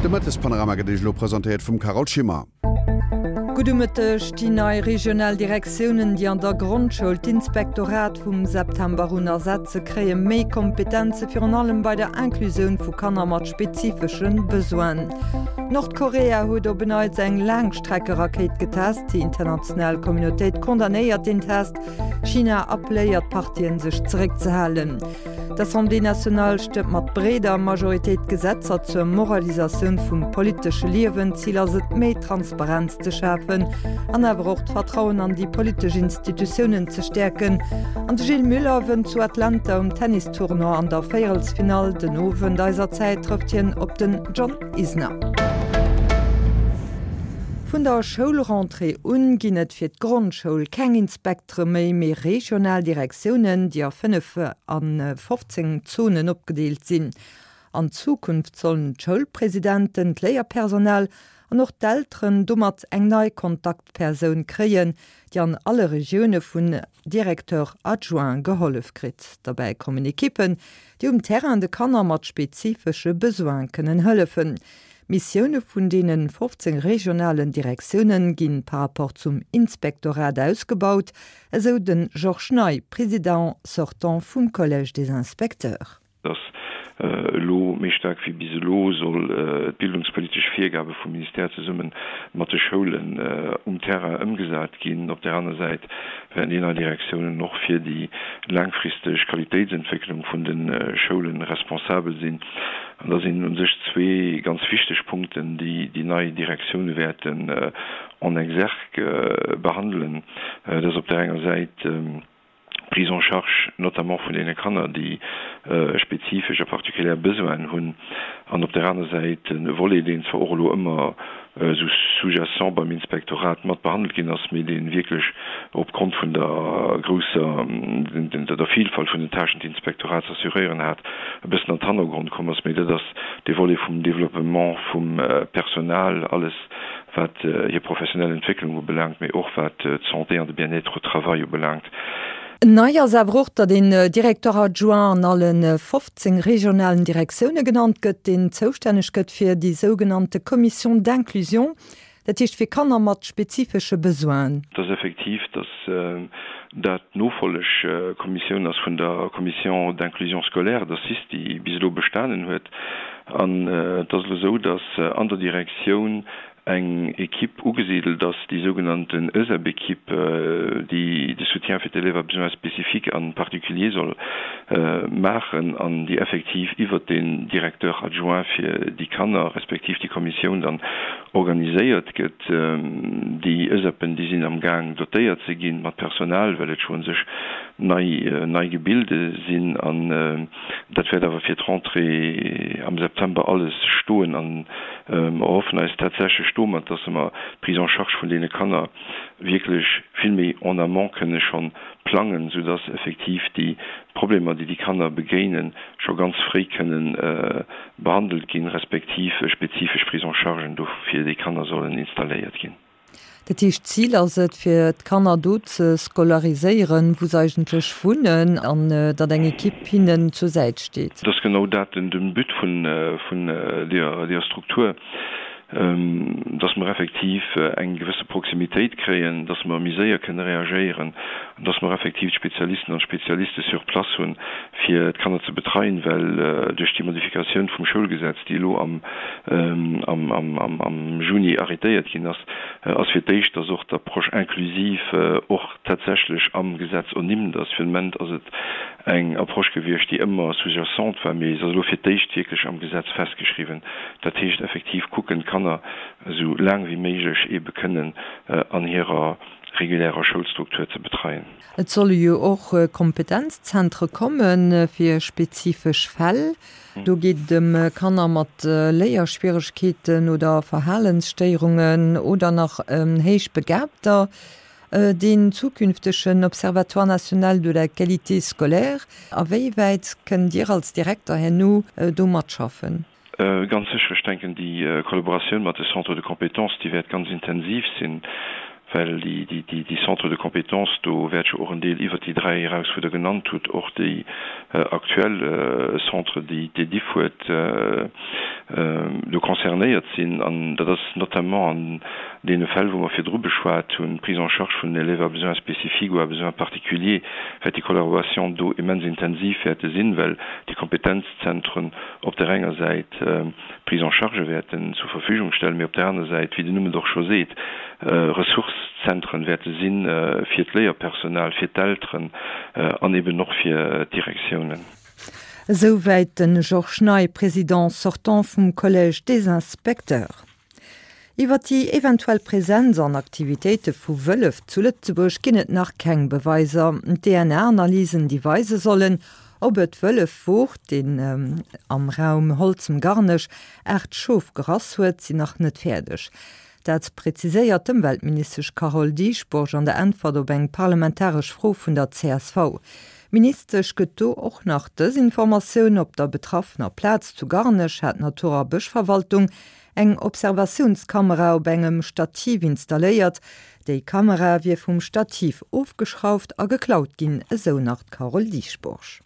De Mëttespanorama gëtt Iech elo presentéiert vum Carole Schimmer. Gudde Mëtteg. Déi nei regional Direktiounen, déi an der Grondschoul d'Inspektorat vum September un ersetze, kréie méi Kompetenze, virun allem bei der Inclusioun vu Kanner mat spezifesche Besoinen. Nordkorea huet op en Neits eng Laangstreckerakéit getest. Déi international Communautéit condamnéiert deen Test. China appelléiert d'Partien, sech zeréckzehalen. D'Assemblée nationale stëmmt mat breeder Majoritéit d'Gesetzer zur Moralisatioun vum politesche Liewen. Zil ass et, méi Transparenz ze schafen an awer och d'Vertrauen an déi politesch Institutiounen ze stäerken. An de Gilles Muller wënnt zu Atlanta um Tennistournoi an der Véierelsfinall. Den Owend eiser Zäit trëfft hien op den John Isner. Vun der Schoulrentrée un ginn et fir d'Grondschoul keng Inspektere méi, mee regional Direktiounen, déi a 15 Zonen opgedeelt sinn. An Zukunft sollen d'Schoulpresidenten, d'Léierpersonal an och d'Elteren domat eng nei Kontaktpersoun kréien, déi an alle Regioune vun Directeurs adjoints gehollef kritt. Derbäi kommen Ekippen, déi um Terrain de Kanner mat spezifesche Besoine kënnen hëllefen. D'Missioune vun deene 15 regionalen Direktioune ginn par rapport zum Inspektorat ausgebaut, esou de Georges Ney, Président sortant vum Collège des inspecteurs. Dass elo méi staark wéi bis elo soll d'bildungspolitesch Virgabe vum Ministère zesumme mat de Schoulen um Terrain ëmgesat ginn. Op där aner Säit wäerten déi nei Direktiounen och fir déi laangfristeg Qualitéitsentwécklung vun de Schoule responsabel sinn. An da sinn u sech zwee ganz wichteg Punkten, déi déi nei Direktioune wäerten en exergue behandelen. Dat ass op där enger Säit d'Prise en charge notamment vun deene Kanner, déi spezifesch a particulière Besoinen hunn, an op där aner Säit e Volet, deen zwar och elo ëmmer esou sous-jacent beim Inspektorat mat behandelt ginn ass, mee dee wierklech opgrond vun der grousser, der Vielfalt vun den Tâchen, déi d'Inspektorat ze assuréieren hat, e bëssen an d'Hannergrond komm ass. Mee dat ass dee Volet vum Développement vum Personal, alles wat hir professionell Entwécklung ubelaangt, mee och wat d'Santé an de Bien-être au travail ubelaangt. Nei ass awer och, datt een Directeur adjoint an alle 15 regionalen Direktioune genannt gëtt, deen zoustänneg gëtt fir déi sougenannte Commission d'inclusion, dat heescht fir Kanner mat spezifesche Besoinen. Et ass effektiv, datt dat d'Nofollegkommissioun ass vun der Commission d'inclusion scolaire, der cis, déi bis elo bestanen huet. An et ass elo esou, datt an der Direktioun eng Equipe ugesidelt ass, déi sougenannten ESEB-Equipe, déi de Soutien fir d'Élèves à besoins spécifiques an particuliers soll maachen an déi effektiv iwwert den Directeur adjoint fir déi Kanner, respektiv déi Kommissioun dann organiséiert gëtt. Déi ESEBen, déi sinn am Gaang dotéiert ze ginn mat Personal, well et scho un sech nei, nei Gebilde sinn an Dat wäert awer fir d'Rentrée am September alles stoen an mer erhoffen eis tatsächlech domat, dass mer d'Prise en charge vun deene Kanner wierklech vill méi en amont kënne schonn plangen, soudass effektiv déi Problemer, déi déi Kanner begéinen, scho ganz fréi kënnen behandelt ginn, respektiv spezifesch Prise-en-chargen do fir déi Kanner sollen installéiert ginn. Dat heescht, d'Zil ass et, fir d'Kanner do ze scolariséieren, wou se eigentlech wunnen, an datt eng Ekipp hinnen zur Säit steet. Et ass genau dat den But vun deeër Struktur, dass mer effektiv eng gewësse Proximitéit kréien, dass mer méi séier kënne reagéieren an dass mer effektiv d'Spezialisten an d'Spezialiste sur place hunn, fir d'Kanner ze betreien, well duerch déi Modifikatioun vum Schoulgesetz, déi elo am am Juni arrêtéiert ginn ass, ass fir d'éischt, dass och d'Approche inclusive och tatsächlech am Gesetz ernimmt ass. Fir den Moment ass et eng Approche gewiescht, déi ëmmer sous-jacente war, mee se ass elo fir d'éischt wierklech am Gesetz festgeschriwwen. Dat heescht effektiv kucken, d'Kanner esou laang wéi méiglech eebe kënnen an hirer regulärer Schoulstruktur ze betreien. Et solle jo och Kompetenzzentre komme fir spezifesch Fäll. Do geet et ëm Kanner mat Léierschwieregkeeten oder Verhalensstéierungen oder nach ëm Héichbegabter. Deen zukünftegen Observatoire national de la qualité scolaire, a wéi wäit kënnt Dir als Direkter herno do matschaffen? Ganz sécher. Ech denken, déi Kollaboratioun mat de Centres de compétences, déi wäert ganz intensiv sinn, well déi Centres de compétences, do wäert jo och en Deel iwwert déi dräi eraus, wou Der genannt hutt, och déi aktuell Centre, déi d'EDIFF huet. do concernéiert sinn. An dat ass notamment an deene Fäll, wou mer virdru beschwat hunn, d'Prise en charge vun den Élèves à besoins spécifiques ou à besoins particuliers, wäert déi Collaboration do immens intensiv wäerte sinn, well déi Kompetenzzentren op där enger Säit Prise en charge wäerten zur Verfügung stellen, mee op där aner Säit, wéi den Numm et och scho seet, Ressourcezentren wäerte si fir d'Léierpersonal, fir d'Elteren an eben och fir d'Direktiounen. Esouwäit de Georges Ney, Président sortant vum Collège des Inspecteurs. Iwwer déi eventuell Presenz an Aktivitéite vu Wëllef zu Lëtzebuerg ginn et nach keng Beweiser. DNA-Analysen, déi weise sollen, ob et Wëllef wor, deen am Raum Holzem-Garnech 8 Schof gerass huet, sinn nach net fäerdeg. Dat präziséiert d'Ëmweltministesch Carole Dieschbourg an der Äntwert op eng parlamentaresch Fro vun der csv. D'Ministesch gëtt do och nach dës Informatioun, Op der betraffener Plaz zu Garnech hat d'Natur a Bëschverwaltung Eng Observatiounskamera op engem Stativ installéiert. Déi Kamera wier vum Stativ ofgeschrauft a geklaut ginn, esou nach d'Carole Dieschbourg.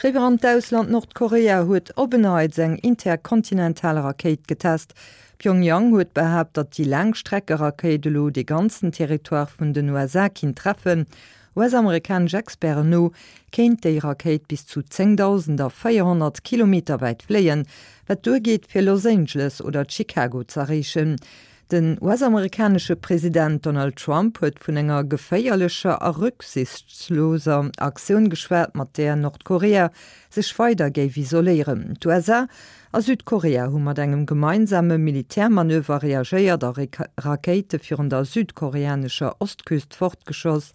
Eriwwer an d'Ausland, Nordkorea huet op en Neits eng interkontinental Rakéit getest. Pyongyang huet behaapt, datt déi Laangstreckerakéit elo dee ganzen Territoire vun den USA kinnt treffen. US-amerikanesch Experten no kéint déi Rakéit bis zu 10.400 Kilometer wäit fléien, wat duergeet fir Los Angeles oder Chicago z'erreechen. Den US-amerikanesche President Donald Trump huet vun enger geféierlecher a rücksichtsloser Aktioun geschwat, mat där Nordkorea sech weider géif isoléieren. D'USA a Südkorea hu mat engem gemeinsame Militärmanöver reagéiert a Rakéite virun der südkoreanescher Ostküst fortgeschoss.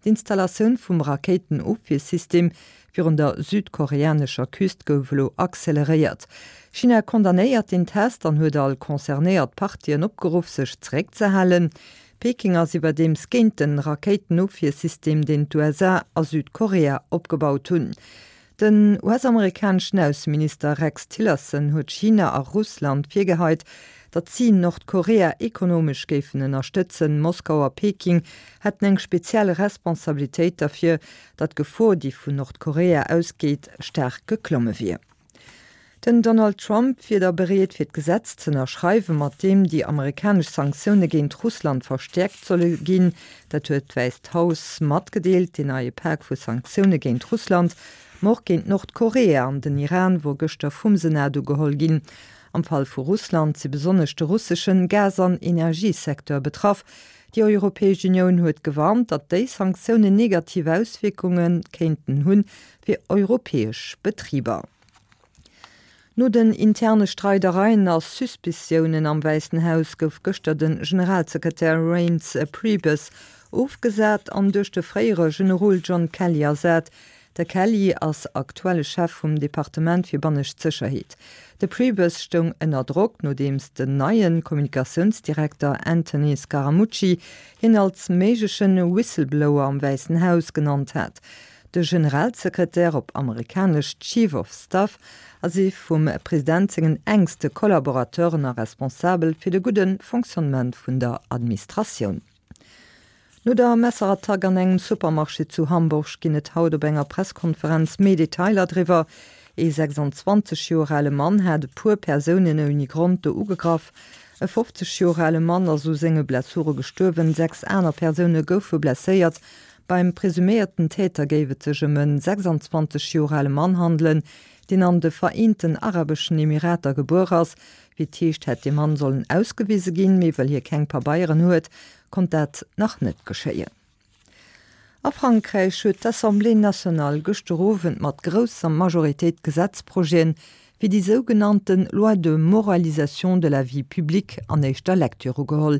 D'Installatioun vum Rakéitenofwiersystem virun der südkoreanescher Küst gouf elo acceleréiert. China condamnéiert den Test an huet all concernéiert Partien opgeruff, sech zeréckzehalen. Peking ass iwwerdeems géint den Rakéitenofwiersystem, deen d'USA a Südkorea opgebaut hunn. Den US-amerikaneschen Ausseminister Rex Tillerson huet China a Russland virgeheit, datt si Nordkorea ekonomesch géifen ënnerstëtzen. Moskau a Peking hätten eng speziell Responsabilitéit derfir, datt d'Gefor, déi vun Nordkorea ausgeet, staark geklomme wier. Den Donald Trump wier da bereet fir d'Gesetz z'ënnerschreiwen, mat deem déi amerikanesch Sanktioune géint Russland verstäerkt solle ginn. Dat huet d'Wäisst Haus matgedeelt. Deen neie Pak vu Sanktioune géint Russland, ma och géint Nordkorea an den Iran wor gëschter vum Senat ugeholl ginn. Am Fall vu Russland si besonnesch de russeschen Gas an Energiesecteur betraff. Déi Europäesch Unioun huet gewarnt, datt déi Sanktiounen negativ Auswierkunge kéinten hunn fir europäesch Betriber. No den interne Streidereien a Suspiciounen am Wäissen Haus gouf gëschter de Generalsekretär Reince Priebus ofgesat an duerch de fréiere Generol John Kelly ersat. De Kelly ass aktuelle Chef vum Departement fir bannescht Sécherheet. De Priebus stoung ënner Drock, nodeems den neie Kommunikatiounsdirekter Anthony Scaramucci hien als méigleche Whistleblower am Wäissen Haus genannt hat. De Generalsekretär, op amerikanesch Chief of Staff, ass ee vum President sengen enkste Collaborateuren a responsabel fir de gudde Fonctionnement vun der Administratioun. No der Messerattack an engem Supermarché zu Hamburg ginn et haut op enger Presskonferenz méi Detailer driwwer. Ee 26 Joer ale Mann hat e puer Persounen ouni Grond do ugegraff. E 50 Joer ale Mann ass u senge Blessure gestuerwen, 6 aner Persoune goufe blesséiert. Beim presuméierten Täter géif et sech ëm e 26 Joer ale Mann handelen, deen an de Vereenten Arabeschen Emirater gebuer ass. Wéi et heescht, hätt dee Mann sollen ausgewise ginn, mee well hie keng Pabeieren huet, konnt dat nach net geschéien. A Frankräich huet d'Assemblée nationale gëschter Owend mat grousser Majoritéit d'Gesetzprojeten fir déi sougenannte Loi de moralisation de la vie publique an éischter Lecture ugeholl.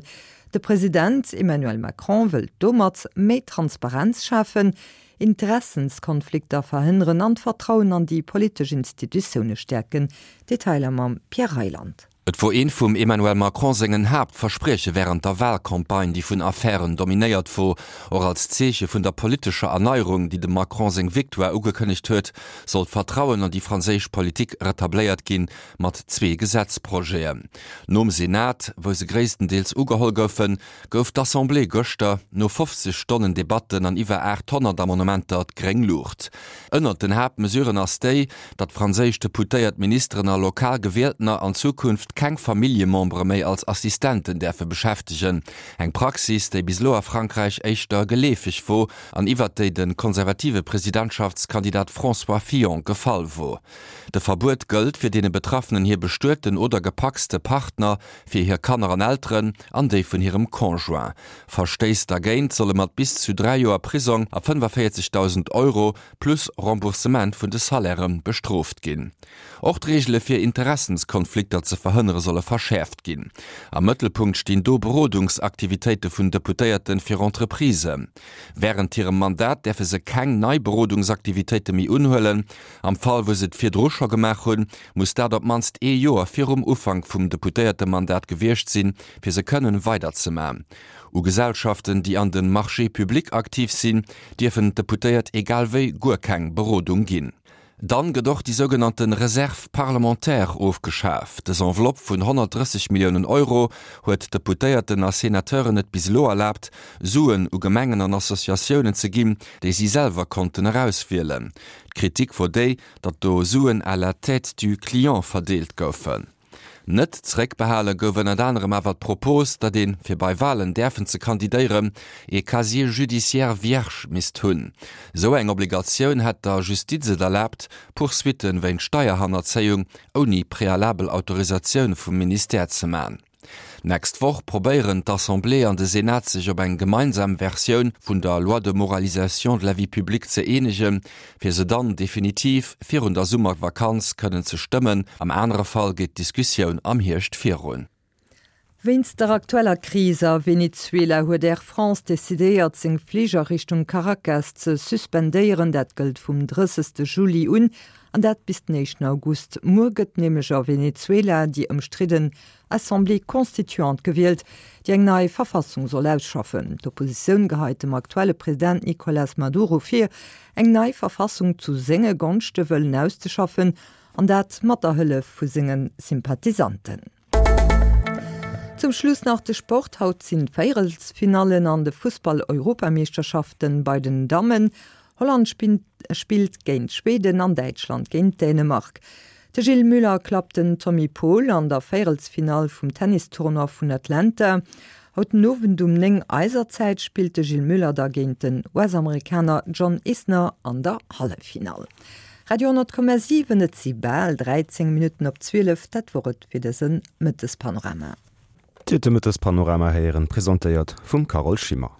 De President Emmanuel Macron wëllt domat méi Transparenz schafen, Interessenskonflikter verhënneren an d'Vertrauen an déi politesch Institutioune stäerken. Detailer mam Pierre Reyland. Et wor eent vum Emmanuel Macron sengen Haaptversprieche wärend der Walcampagne, déi vun Affären dominéiert wor. Och als Zeeche vun der politescher Erneierung, déi dem Macron seng Victoire ugekënnegt huet, soll d'Vertrauen an déi franséisch Politik retabléiert ginn, mat zwee Gesetzprojeten. Nom Senat, wou se gréisstendeels ugeholl goufen, gouf d'Assemblée gëschter, no 50 Stonnen Debatten an iwwer 800 Amendementer, d'gréng Luucht. Ënnert den Haaptmesuren ass déi, datt franséisch Deputéiert, Ministeren a lokal Gewieltener an Zukunft keng Familljemembere méi als Assistenten däerfe beschäftegen. Eng Praxis, déi bis elo a Frankräich éischter geleefeg wor an iwwert déi de konservative Presidentschaftskandidat François Fillon gefall wor. De Verbuet gëllt fir deene Betraffenen hir bestueten oder gepacste Partner, fir hir Kanner an Elteren an déi vun hirem Conjoint. Verstéiss dergéint solle mat bis zu 3 Joer Prisong a 45.000 Euro plus Remboursement vun de Salairë bestrooft ginn. Och d'Reegele fir Interessenskonflikter ze verhënnere solle verschäerft ginn. Am Mëttelpunkt stinn do Berodungsaktivitéite vun Deputéierte fir Entreprisen. Wärend hirem Mandat däerfe se keng nei Berodungsaktivitéite méi unhuelen. Am Fall wou se et virdru scho gemaach hunn, muss dat op d'mannst ee Joer virum Ufank vum Deputéiertemandat gewiescht sinn, fir se kënnen weiderzemaen. U Gesellschaften, déi an de Marchés publics aktiv sinn, dierfen d'Deputéiert egal wéi guer keng Berodung ginn. Dann gëtt och déi sougenannte Réserve parlementaire ofgeschaf. Dës Enveloppe vun 130 Milliounen Euro huet Deputéierten a Senateuren et bis elo erlaabt, Suen u Gemengen an Associatiounen ze ginn, déi si selwer konnten erauswielen. D'Kritik wor déi, datt do Suen à la tête du client verdeelt goufen. Net zeréckbehale gouf ënnert anerem awer d'Propos, datt een, fir bei Walen däerfen ze kandidéieren, ee Casier judiciaire vierge misst hunn. Esou eng Obligatioun hätt der Justiz et erlaabt, Poursuitte wéint Steierhannerzéiung ouni prealabel Autorisatioun vum Ministère ze man. D'nächst Woch probéieren d'Assemblée an de Senat sech op eng gemeinsam Versioun vun der Loi de moralisation de la vie publique ze eenegen, fir se dann definitiv virun der Summervakanz kënnen ze stëmmen. Am anere Fall geet d'Diskussioun am Hierscht virun. Wéinst der aktueller Kris a Venezuela huet Air France decidéiert, seng Flich a Richtung Caracas ze suspendéieren. Dat gëllt vum 30. Juli un, an dat bis den éischten August. Muer gëtt nämlech a Venezuela déi ëmstridden Assemblée constituante gewielt, déi eng nei Verfassung soll ausschaffen. D'Oppositioun geheit dem aktuelle President Nicolas Maduro vir, eng nei Verfassung zu senge Gonschte wëllen auszeschaffen, an dat mat der Hëllef vu senge Sympathisanten. Zum Schluss nach de Sport, Haut sinn d'Véierelsfinallen an de Fussball-Europameeschterschaften bei den Dammen. Holland spillt géint Schweden an Däitschland géint Dänemark. De Gilles Muller klappt den Tommy Paul an der Véierelsfinall vum Tennistournoi vun Atlanta. Haut den Owend um 9 eiser Zäit spillt de Gilles Muller da géint den US-Amerikaner John Isner an der Halleffinall. Radio 10,7 Et si bal 13 Minutten op 12, dat wor et fir dëse Mëttespanorama. Dir huet de Mëttespanorama héieren, presentéiert vum Carole Schimmer.